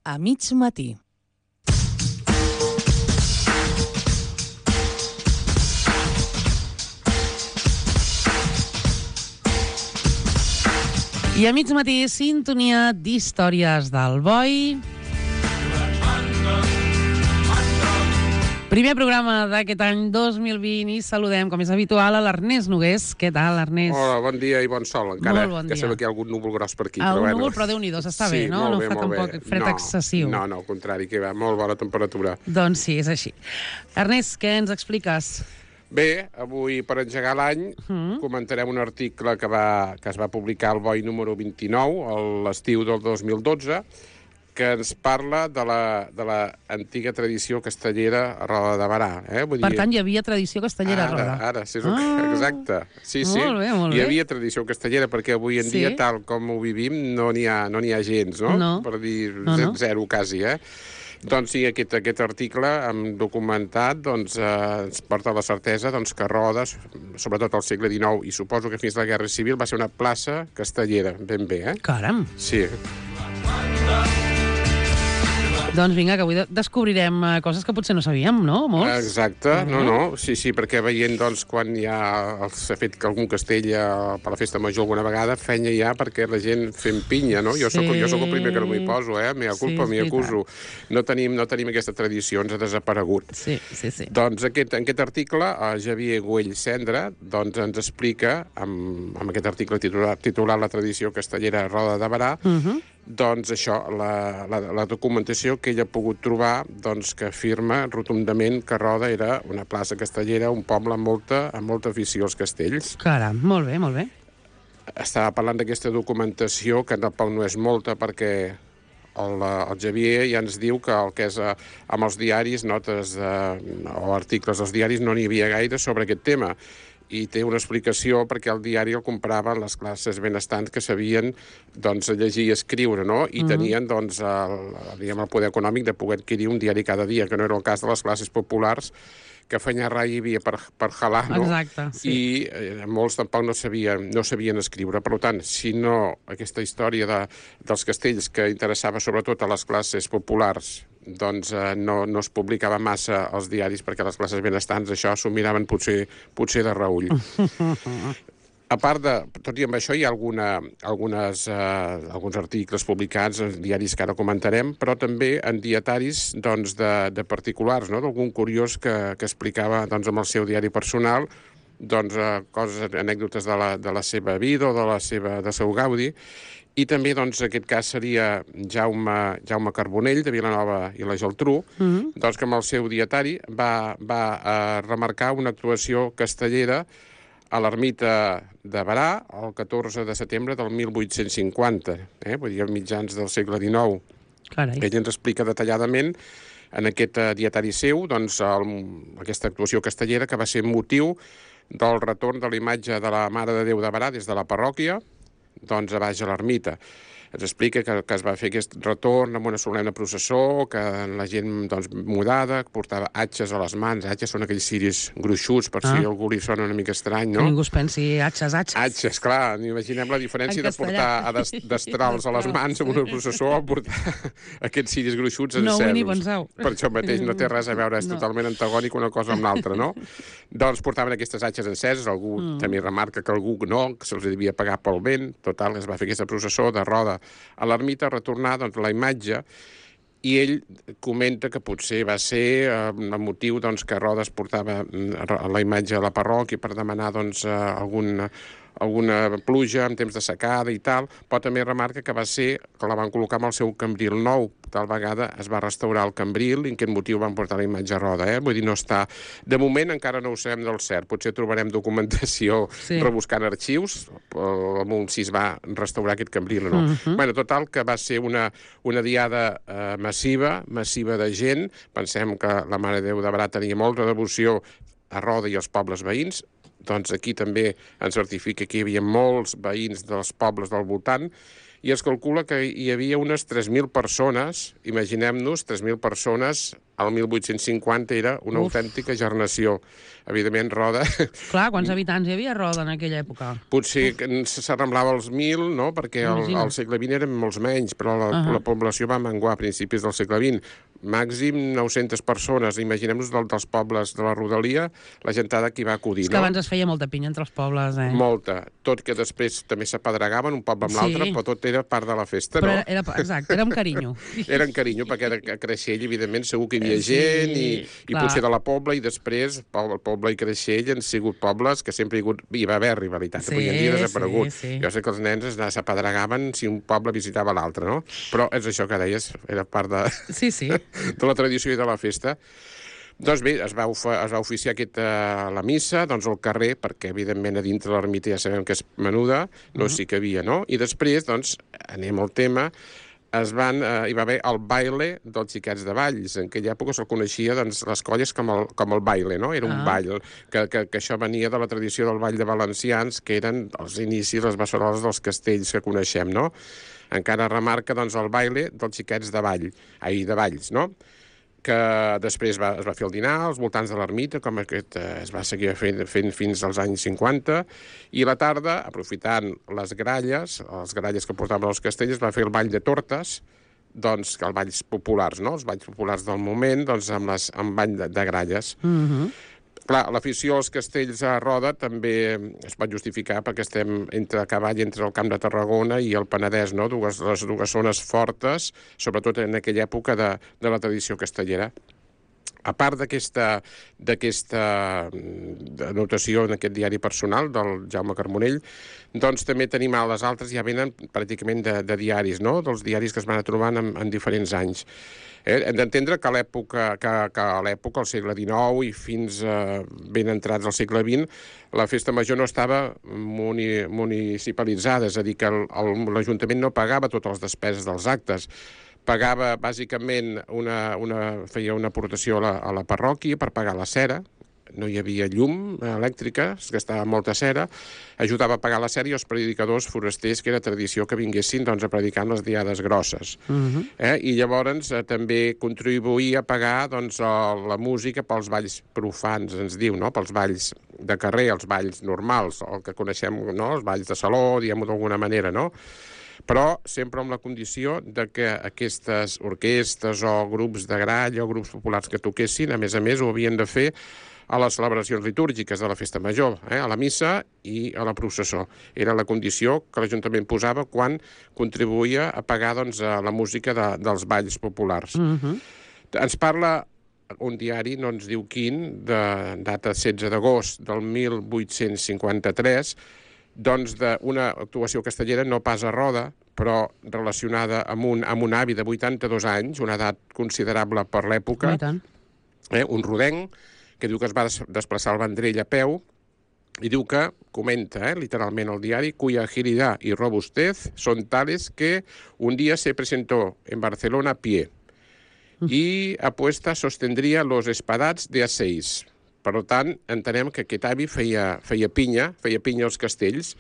a mig matí. I a mig matí, sintonia d'històries del Boi. Primer programa d'aquest any 2020 i saludem, com és habitual, a l'Ernest Nogués. Què tal, Ernest? Hola, bon dia i bon sol, encara. Molt bon dia. Que sembla que hi ha algun núvol gros per aquí. Núvol, però Déu-n'hi-do, s'està bé, no? No fa tampoc fred excessiu. No, al contrari, que va molt bona temperatura. Doncs sí, és així. Ernest, què ens expliques? Bé, avui, per engegar l'any, comentarem un article que es va publicar al Boi número 29, a l'estiu del 2012, que ens parla de la antiga tradició castellera a Roda de Barà. Vull dir... Per tant, hi havia tradició castellera a Roda. Ara, sí, exacte. Sí. Molt bé, molt bé. Hi havia tradició castellera, perquè avui en dia, tal com ho vivim, no n'hi ha gens, no? No. Per dir zero, quasi, Doncs sí, aquest article hem documentat, doncs, ens porta la certesa que Roda, sobretot al segle XIX, i suposo que fins a la Guerra Civil, va ser una plaça castellera, ben bé, Caram! Sí. Doncs vinga, que avui descobrirem coses que potser no sabíem, no? Molts. Exacte, sí, perquè veient, doncs, quan s'ha fet algun castell per la festa major alguna vegada, feina ja perquè la gent fent pinya, no? Jo soc el primer que no m'hi poso, mea culpa, m'hi acuso. No tenim aquesta tradició, ens ha desaparegut. Sí. Doncs en aquest article, Xavier Güell Cendra, doncs, ens explica, amb aquest article titulat La tradició castellera a Roda de Barà, doncs això, la documentació que ell ha pogut trobar, doncs, que afirma rotundament que Roda era una plaça castellera, un poble amb molta afició als castells. Caram, molt bé, molt bé. Estava parlant d'aquesta documentació, que tampoc no és molta, perquè el Xavier ja ens diu que el que és amb els diaris, notes o articles dels diaris, no n'hi havia gaire sobre aquest tema. I té una explicació perquè el diari el compraven les classes benestants que sabien, doncs, llegir i escriure, no? I tenien, doncs, el poder econòmic de poder adquirir un diari cada dia, que no era el cas de les classes populars, que feina rai hi havia per jalar, no? Exacte, sí. I molts tampoc no sabien escriure. Per tant, si no aquesta història dels castells que interessava sobretot a les classes populars, doncs no es publicava massa als diaris, perquè les classes benestants això s'ho miraven potser de reull. A part tot i amb això, hi ha alguns articles publicats en diaris que ara comentarem, però també en dietaris, doncs, de particulars, no? D'algun curiós que explicava, doncs, amb el seu diari personal, doncs, coses, anècdotes de la seva vida o del seu gaudi. I també, doncs, aquest cas seria Jaume Carbonell, de Vilanova i la Geltrú, doncs, que amb el seu dietari va remarcar una actuació castellera a l'ermita de Barà el 14 de setembre del 1850, vull dir, a mitjans del segle XIX. Carai. Ell ens explica detalladament en aquest dietari seu, doncs, aquesta actuació castellera que va ser motiu del retorn de la imatge de la Mare de Déu de Barà des de la parròquia, doncs, a baix a l'ermita. Ens explica que es va fer aquest retorn amb una solemne processó, que la gent, doncs, mudada, portava atxes a les mans. Atxes són aquells ciris gruixuts, per si algú li sona una mica estrany, no? Que ningú es pensi atxes. Atxes, clar. Imaginem la diferència de portar destrals a les mans amb una processó o portar aquests ciris gruixuts encesos. No vull ni pensar-ho. Per això mateix no té res a veure, és totalment antagònic una cosa amb l'altra, no? Doncs portaven aquestes atxes enceses, algú també remarca que algú no, que se'ls devia pagar pel vent. Total, es va fer aquesta processó de Roda a l'ermita, retornar, doncs, la imatge, i ell comenta que potser va ser el motiu, doncs, que Roda es portava la imatge a la parròquia per demanar, doncs, alguna pluja en temps de secada i tal, però també remarca que va ser que la van col·locar amb el seu cambril nou. Tal vegada es va restaurar el cambril i en aquest motiu van portar la imatge a Roda, Vull dir, no està... De moment encara no ho sabem del cert. Potser trobarem documentació rebuscant arxius, si es va restaurar aquest cambril o no. Bueno, total, que va ser una diada massiva de gent. Pensem que la Mare de Déu de Barà tenia molta devoció a Roda i als pobles veïns. Doncs aquí també ens certifica que hi havia molts veïns dels pobles del voltant, i es calcula que hi havia unes 3.000 persones, imaginem-nos, 3.000 persones, al 1850 era una autèntica gernació. Evidentment, Roda... Clar, quants habitants hi havia a Roda en aquella època? Potser s'arramblava als 1.000, no? Perquè al segle XX eren molts menys, però la població va menguar a principis del segle XX. Màxim 900 persones. Imaginem-nos dels pobles de la rodalia, la gentada que hi va acudir, no? És que abans es feia molta pinya entre els pobles, Molta. Tot que després també s'apedregaven un poble amb l'altre, però tot era part de la festa, no? Exacte, era amb carinyo. Era amb carinyo, perquè a Creixell, evidentment, segur que hi havia gent i potser de la Pobla, i després el Pobla i Creixell han sigut pobles que sempre hi va haver rivalitat. Avui en dia ha desaparegut. Jo sé que els nens s'apedregaven si un poble visitava l'altre, no? Però és això que deies, era part de... de la tradició i de la festa. Doncs bé, es va oficiar la missa, doncs al carrer, perquè evidentment a dintre l'ermita ja sabem que és menuda, no s'hi cabia, no? I després, doncs, anem al tema, hi va haver el baile dels xiquets de Valls. En aquella època se'l coneixia, doncs, les colles com el baile, no? Era un ball, que això venia de la tradició del ball de valencians, que eren els inicis, les bessoroles dels castells que coneixem, no? Encara remarca, doncs, el baile dels xiquets de Valls, no? Que després es va fer el dinar als voltants de l'ermita, com es va seguir fent fins als anys 50, i a la tarda, aprofitant les gralles que portaven els castells, es va fer el ball de tortes, doncs, els balls populars, no? Els balls populars del moment, doncs, amb ball de gralles. Clar, l'afició als castells a Roda també es pot justificar perquè estem a cavall entre el Camp de Tarragona i el Penedès, no? Les dues zones fortes, sobretot en aquella època de la tradició castellera. A part d'aquesta anotació en aquest diari personal del Jaume Carbonell, doncs també tenim a les altres, ja venen pràcticament de diaris, no? Dels diaris que es van trobant en diferents anys. Hem d'entendre que a l'època, al segle XIX i fins ben entrats al segle XX, la festa major no estava municipalitzada, és a dir, que l'Ajuntament no pagava totes les despeses dels actes. Pagava, bàsicament, feia una aportació a la parròquia per pagar la cera, no hi havia llum elèctrica, es gastava molta cera, ajudava a pagar la cera i els predicadors forasters, que era tradició que vinguessin a predicar en les diades grosses. I llavors també contribuïa a pagar la música pels balls profans, ens diu, no? Pels balls de carrer, els balls normals, el que coneixem, no? Els balls de saló, diguem-ho d'alguna manera, no? Però sempre amb la condició de que aquestes orquestes o grups de gralla o grups populars que toquessin, a més, ho havien de fer a les celebracions litúrgiques de la festa major, a la missa i a la processó. Era la condició que l'Ajuntament posava quan contribuïa a pagar la música dels balls populars. Ens parla un diari, no ens diu quin, de data 16 d'agost del 1853, doncs d'una actuació castellera no pas a Roda, però relacionada amb un avi de 82 anys, una edat considerable per l'època, un rodenc, que diu que es va desplaçar al Vendrell a peu, i diu que, comenta literalment el diari, cuya agilidad y robustez son tales que un día se presentó en Barcelona a pie y apuesta sostendría los espadats de A6. Per tant, entenem que aquest avi feia pinya als castells,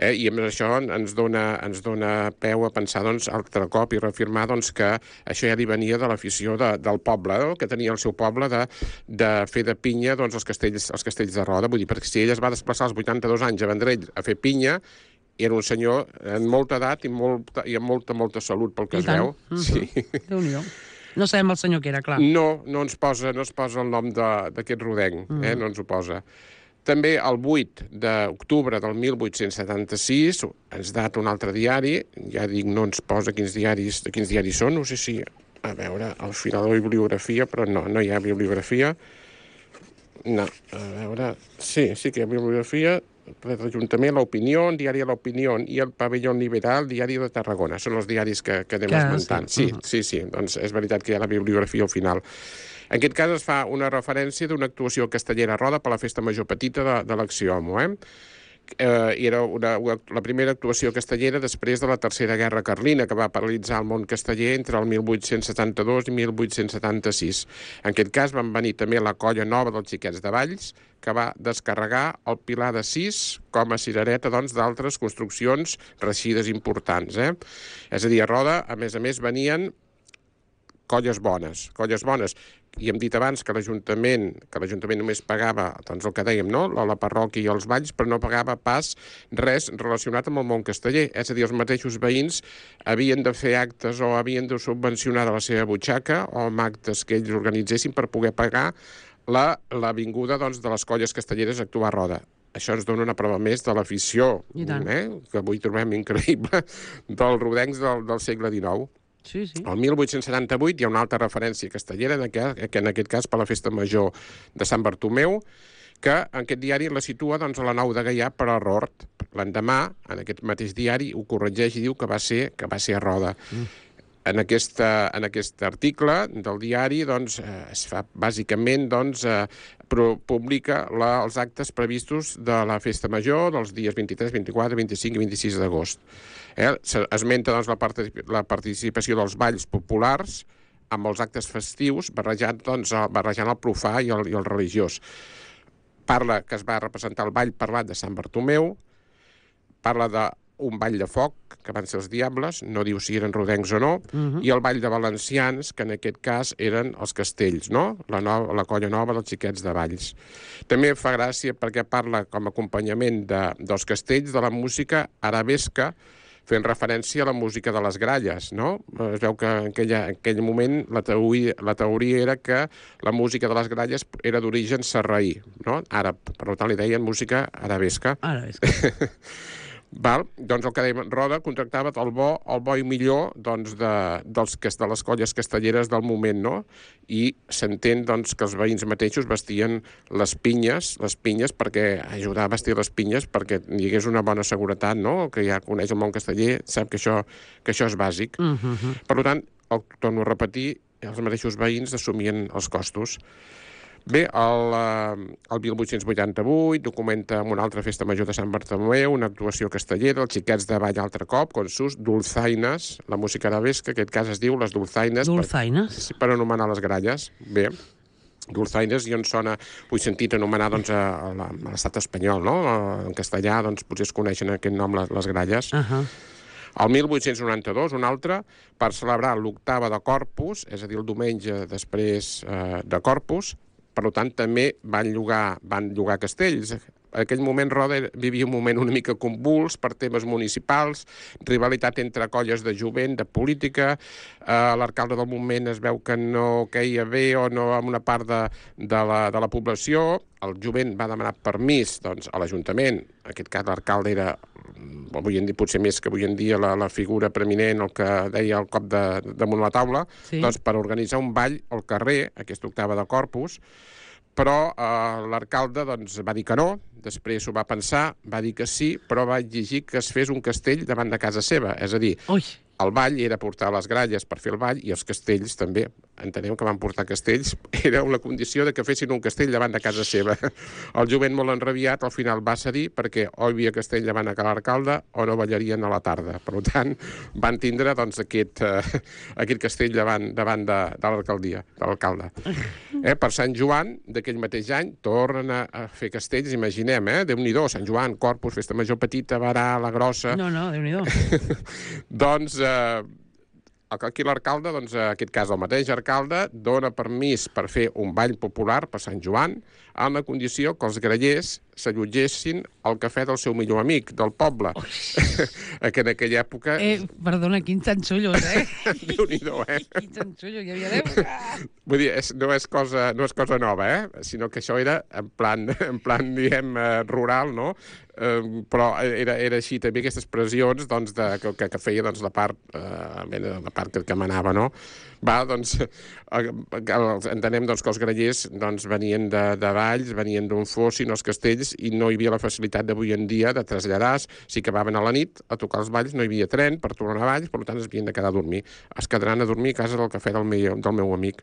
i amb això ens dona peu a pensar altre cop i reafirmar que això ja li venia de l'afició del poble, que tenia el seu poble de fer de pinya els castells de Roda. Vull dir, perquè si ell es va desplaçar als 82 anys a Vendrell a fer pinya, era un senyor amb molta edat i amb molta salut, pel que es veu. Déu-n'hi-do. No sabem el senyor que era, clar. No es posa el nom d'aquest rodenc, no ens ho posa. També el 8 d'octubre del 1876 ens data un altre diari, ja dic, no ens posa quins diaris són, no sé si, a veure, al final de la bibliografia, però no hi ha bibliografia. No, a veure, sí que hi ha bibliografia, l'Ajuntament, l'Opinió, el diari l'Opinió i el Pavellón Liberal, diari de Tarragona. Són els diaris que anem esmentant. Sí, doncs és veritat que hi ha la bibliografia al final. En aquest cas es fa una referència d'una actuació castellera a Roda per la festa major petita de l'Axioma, era la primera actuació castellera després de la Tercera Guerra Carlina, que va paralitzar el món casteller entre el 1872 i 1876. En aquest cas van venir també la Colla Nova dels Xiquets de Valls, que va descarregar el Pilar de Sis com a cirereta, doncs, d'altres construccions reixides importants. És a dir, a Roda, a més, venien colles bones. I hem dit abans que l'Ajuntament només pagava, doncs el que dèiem, no?, la parròquia i els balls, però no pagava pas res relacionat amb el món casteller. És a dir, els mateixos veïns havien de fer actes o havien de subvencionar de la seva butxaca o amb actes que ells organitzessin per poder pagar la vinguda, doncs, de les colles castelleres a actuar a Roda. Això ens dona una prova més de l'afició, que avui trobem increïble, dels rodencs del segle XIX. Sí. El 1878 hi ha una altra referència castellera, que en aquest cas per la Festa Major de Sant Bartomeu, que en aquest diari la situa, doncs, a la Nau de Gaià per error. L'endemà, en aquest mateix diari, ho corregeix i diu que va ser a Roda. En aquest article del diari, doncs, es fa bàsicament, doncs, publica els actes previstos de la Festa Major dels dies 23, 24, 25 i 26 d'agost. Esmenta, doncs, la participació dels balls populars amb els actes festius, barrejant el profà i el religiós. Parla que es va representar el ball parlat de Sant Bartomeu, parla d'un ball de foc, que van ser els Diables, no diu si eren rodencs o no, i el ball de valencians, que en aquest cas eren els castells, no?, la Colla Nova dels Xiquets de Valls. També fa gràcia perquè parla com a acompanyament dels castells de la música arabesca, fent referència a la música de les gralles, no? Es veu que en aquell moment la teoria era que la música de les gralles era d'origen sarraí, no? Àrab, per tant li deien música arabesca. Val? Doncs el que dèiem, Roda contractava el bo i millor, doncs, de les colles castelleres del moment, no? I s'entén, doncs, que els veïns mateixos vestien les pinyes perquè ajudar a vestir les pinyes perquè hi hagués una bona seguretat, no? Que ja coneix el món casteller, sap que això és bàsic. Per tant, torno a repetir, els mateixos veïns assumien els costos. Bé, el 1888 documenta amb una altra festa major de Sant Bartomeu una actuació castellera, els Xiquets de Vall altre cop, con sus dulzaines, la música arabesca, que en aquest cas es diu les dulzaines. Dulzaines? Per anomenar les gralles. Bé, dulzaines, i on sona, ho he sentit anomenar, doncs, a l'estat espanyol, no? En castellà, doncs, potser es coneixen aquest nom, les gralles. El 1892, un altre, per celebrar l'octava de Corpus, és a dir, el diumenge després de Corpus. Per tant, també van llogar castells. En aquell moment Roda vivia un moment una mica convuls per temes municipals, rivalitat entre colles de jovent, de política, l'alcalde del moment es veu que no queia bé o no amb una part de la població. El jovent va demanar permís, doncs, a l'Ajuntament. En aquest cas l'alcalde era, avui en dia, potser més que avui en dia, la figura preeminent, el que deia el cop damunt la taula, doncs, per organitzar un ball al carrer, aquesta octava de Corpus, però l'alcalde, doncs, va dir que no, després ho va pensar, va dir que sí, però va exigir que es fes un castell davant de casa seva. És a dir, el ball era portar les gralles per fer el ball i els castells també, entenem que van portar castells, era una condició de que fessin un castell davant de casa seva. El jovent molt enrabiat al final va cedir perquè o hi havia castell davant de l'alcalde o no ballarien a la tarda. Per tant, van tindre, doncs, aquest castell davant de l'alcaldia, de l'alcalde. Per Sant Joan d'aquell mateix any tornen a fer castells, imaginem, Déu-n'hi-do, Sant Joan, Corpus, Festa Major petita, Barà, la grossa. No, Déu-n'hi-do. Doncs aquí l'alcalde, doncs, en aquest cas el mateix alcalde, dona permís per fer un ball popular per Sant Joan amb la condició que els grallers s'allotgessin al cafè del seu millor amic, del poble. Que en aquella època... Perdona, quins xanxullos, Déu-n'hi-do, Quins xanxullos hi havia d'època. Vull dir, no és cosa nova, sinó que això era en plan, diguem, rural, no? Però era així també aquestes pressions, doncs, que feia, doncs, la part que manava, no? Doncs, entenem, doncs, que els grallers, doncs, venien de Valls, venien d'on fossin els castells i no hi havia la facilitat d'avui en dia de traslladar, si acabaven a la nit a tocar els balls, no hi havia tren per tornar a Valls, per tant es havien de quedar a dormir. Es quedaran a dormir a casa del cafè del meu amic.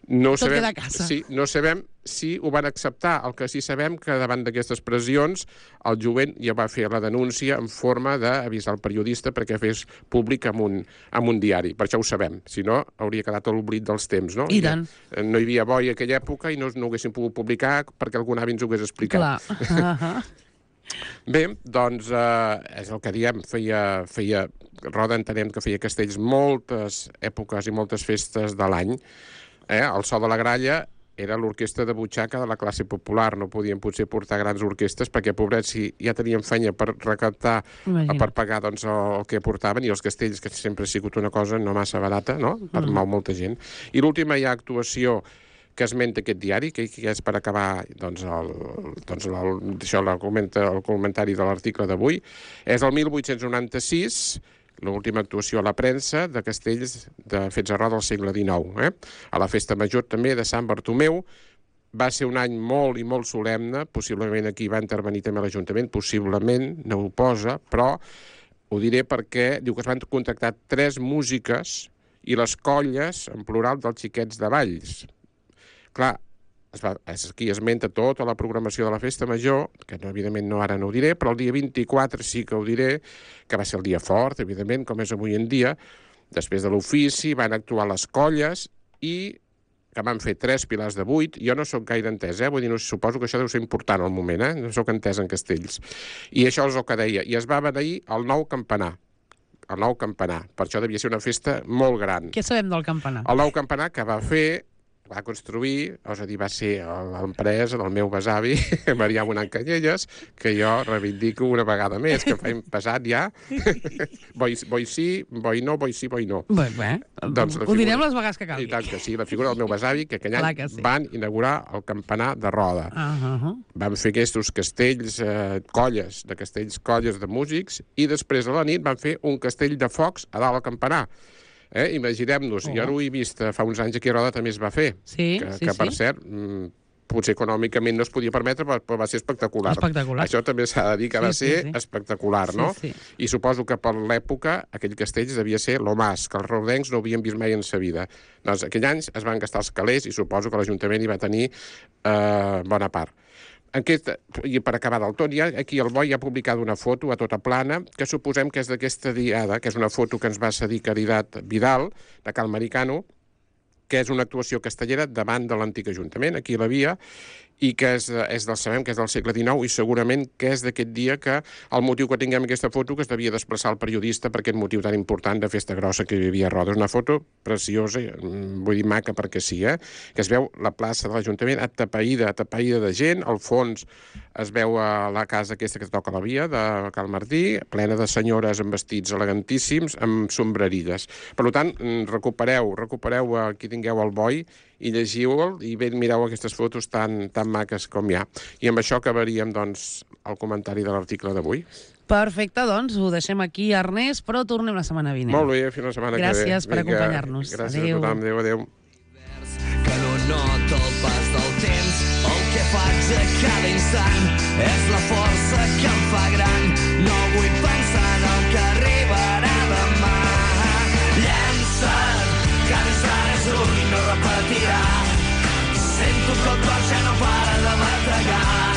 Tot queda a casa. Sí, no sabem si ho van acceptar. El que sí sabem que davant d'aquestes pressions el jovent ja va fer la denúncia en forma d'avisar el periodista perquè fes públic en un diari. Per això ho sabem. Si no, hauria quedat a l'oblit dels temps, no? I tant. No hi havia boi a aquella època i no ho haguessin pogut publicar perquè algun avi ens ho hagués explicat. Clar. Bé, doncs és el que diem, feia Roda entenem que feia castells moltes èpoques i moltes festes de l'any. El So de la Gralla era l'orquestra de butxaca de la classe popular, no podien potser portar grans orquestres perquè, pobrets, si ja tenien feina per recaptar, per pagar doncs, el que portaven, i els castells, que sempre ha sigut una cosa no massa barata, no? Per molta gent. I l'última ja actuació que esmenta aquest diari, que és per acabar el comentari de l'article d'avui, és el 1896, l'última actuació a la premsa de castells fets a Roda del segle XIX. A la festa major també de Sant Bartomeu. Va ser un any molt i molt solemne, possiblement aquí va intervenir també l'Ajuntament, possiblement, no ho posa, però ho diré perquè diu que es van contactar 3 músiques i les colles, en plural, dels xiquets de Valls. Clar, aquí esmenta tota la programació de la festa major, que evidentment ara no ho diré, però el dia 24 sí que ho diré, que va ser el dia fort, evidentment, com és avui en dia. Després de l'ofici van actuar les colles i que van fer 3 pilars de 8. Jo no sóc gaire entès, vull dir, suposo que això deu ser important al moment, no sóc entès en castells. I això és el que deia. I es va beneir el nou campanar. El nou campanar. Per això devia ser una festa molt gran. Què sabem del campanar? El nou campanar que va construir, és a dir, va ser l'empresa del meu besavi, Marià Bonant Canyelles, que jo reivindico una vegada més, que fa passat ja, boi sí, boi no, boi sí, boi no. Bé, ho direm les vegades que calgui. I tant que sí, la figura del meu besavi, que aquell any van inaugurar el campanar de Roda. Van fer aquests castells, colles de músics, i després a la nit van fer un castell de focs a dalt al campanar. Imaginem-nos, jo ho he vist fa uns anys aquí a Roda també es va fer, que per cert, potser econòmicament no es podia permetre, però va ser espectacular. Això també s'ha de dir que va ser espectacular, no? I suposo que per l'època aquell castell devia ser lo más, que els rodencs no havien vist mai en sa vida. Doncs aquell any es van gastar els calés i suposo que l'Ajuntament hi va tenir bona part. I per acabar del tot, aquí el Boi ha publicat una foto a tota plana que suposem que és d'aquesta diada, que és una foto que ens va cedir Caritat Vidal, de Cal Maricano, que és una actuació castellera davant de l'antic Ajuntament, aquí a la via, i que sabem que és del segle XIX i segurament que és d'aquest dia que el motiu que tinguem aquesta foto que es devia desplaçar el periodista per aquest motiu tan important de festa grossa que hi havia a Roda. És una foto preciosa, vull dir maca perquè sí, que es veu la plaça de l'Ajuntament atapeïda de gent, al fons es veu la casa aquesta que toca la via de Cal Martí, plena de senyores amb vestits elegantíssims, amb sombrerilles. Per tant, recupereu aquí tingueu el Boi i llegiu-el i mireu aquestes fotos tan maques com hi ha. I amb això acabaríem, doncs, el comentari de l'article d'avui. Perfecte, doncs, ho deixem aquí, Ernest, però tornem la setmana vinent. Molt bé, fins la setmana que ve. Gràcies per acompanyar-nos. Gràcies a tothom, adéu. Que no nota el pas del temps, el que faig a cada instant és la força que em fa gran. No vull pensar en el que arribarà demà. Llença't, cada instant és un i no repetirà. Sento que el cor ja no pot